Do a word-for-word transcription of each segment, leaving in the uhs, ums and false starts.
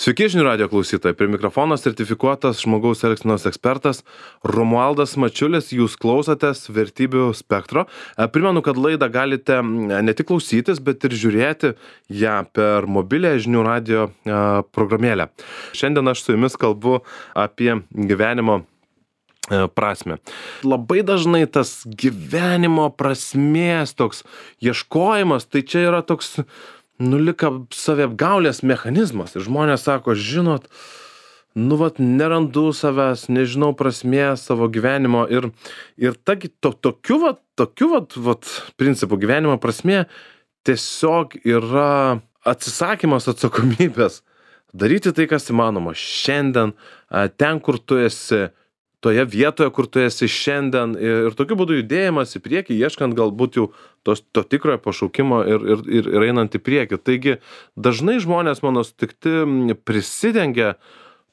Sveiki, žinių radijo klausytojai. Prie mikrofono sertifikuotas žmogaus elgsenos ekspertas Romualdas Mačiulis. Jūs klausotės Vertybių spektro. Primenu, kad laidą galite ne tik klausytis, bet ir žiūrėti ją per mobilę žinių radijo programėlę. Šiandien aš su jumis kalbu apie gyvenimo prasmę. Labai dažnai tas gyvenimo prasmės toks ieškojimas, tai čia yra toks nu lika saviapgaulės mechanizmas. Ir žmonės sako, žinot, nu vat nerandu savęs, nežinau prasmės savo gyvenimo. Ir, ir ta, to, tokiu vat, tokiu vat, vat principų gyvenimo prasmė tiesiog yra atsisakymas atsakomybės. Daryti tai, kas įmanoma šiandien, ten, kur tu esi, toje vietoje, kur tu esi šiandien, ir, ir tokiu būdu judėjimas į priekį, ieškant galbūt jau tos, to tikrojo pašaukimo ir, ir, ir, ir einant į priekį. Taigi dažnai žmonės mano sutikti prisidengia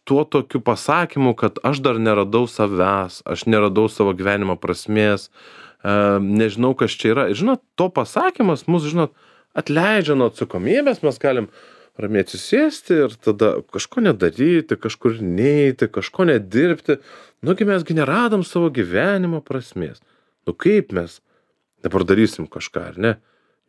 tuo tokiu pasakymu, kad aš dar neradau savęs, aš neradau savo gyvenimo prasmės, e, nežinau, kas čia yra. Ir žinot, to pasakymas mus, žinot, atleidžia nuo atsakomybės, mes galim ramiai atsisėsti ir tada kažko nedaryti, kažkur neiti, kažko nedirbti. Nugi mesgi neradom savo gyvenimo prasmės. Nu kaip mes dabar darysim kažką, ar ne?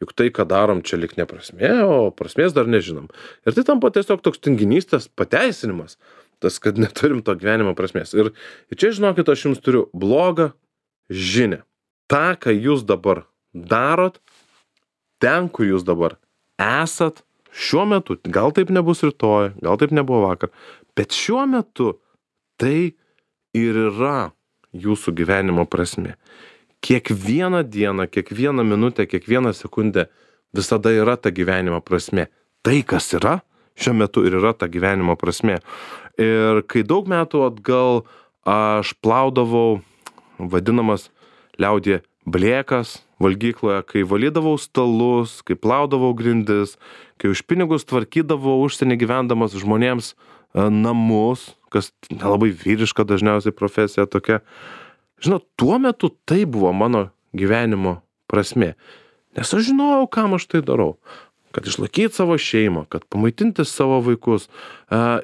Juk tai, ką darom, čia lik ne prasmė, o prasmės dar nežinom. Ir tai tampa tiesiog toks tinginystės pateisinimas, tas, kad neturim to gyvenimo prasmės. Ir, ir čia, žinokit, aš jums turiu blogą žinią. Ta, ką jūs dabar darot, ten, kur jūs dabar esat, šiuo metu, gal taip nebus rytoj, gal taip nebuvo vakar, bet šiuo metu tai ir yra jūsų gyvenimo prasmė. Kiekvieną dieną, kiekvieną minutę, kiekvieną sekundę visada yra ta gyvenimo prasmė. Tai, kas yra, šiuo metu ir yra ta gyvenimo prasmė. Ir kai daug metų atgal aš plaudavau vadinamas liaudyje blėkas valgykloje, kai valydavau stalus, kai plaudavau grindis, kai už pinigus tvarkydavau užsienį gyvendamas žmonėms namus, kas nelabai vyriška dažniausiai profesija tokia. Žinot, tuo metu tai buvo mano gyvenimo prasmė. Nes aš žinojau, kam aš tai darau. Kad išlaikyti savo šeimą, kad pamaitinti savo vaikus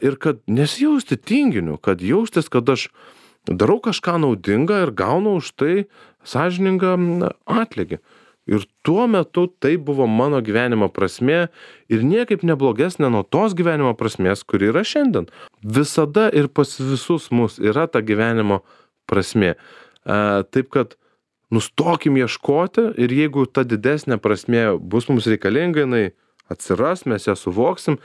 ir kad nesijausti tinginiu, kad jaustis, kad aš darau kažką naudingą ir gaunu už tai sąžiningą atlygį. Ir tuo metu tai buvo mano gyvenimo prasmė ir niekaip neblogesnė nuo tos gyvenimo prasmės, kuri yra šiandien. Visada ir pas visus mus yra ta gyvenimo prasmė. E, taip kad nustokim ieškoti ir jeigu ta didesnė prasmė bus mums reikalinga, jinai atsiras, mes ją suvoksim,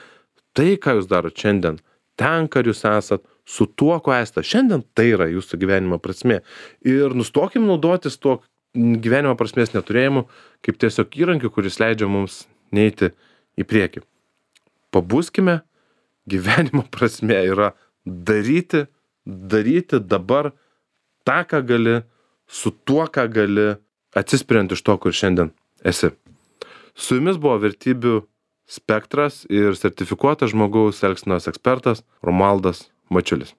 tai, ką jūs darot šiandien, ten, kur jūs esat, su tuo, ko esate šiandien, tai yra jūsų gyvenimo prasmė. Ir nustokim naudotis tuo gyvenimo prasmės neturėjimu kaip tiesiog įrankiu, kuris leidžia mums neiti į priekį. Pabuskime, gyvenimo prasmė yra daryti, daryti dabar tą, ką gali, su tuo, ką gali, atsispiriant iš to, kur šiandien esi. Su jumis buvo Vertybių spektras ir sertifikuotas žmogaus elgsenos ekspertas Romualdas Mačiulis.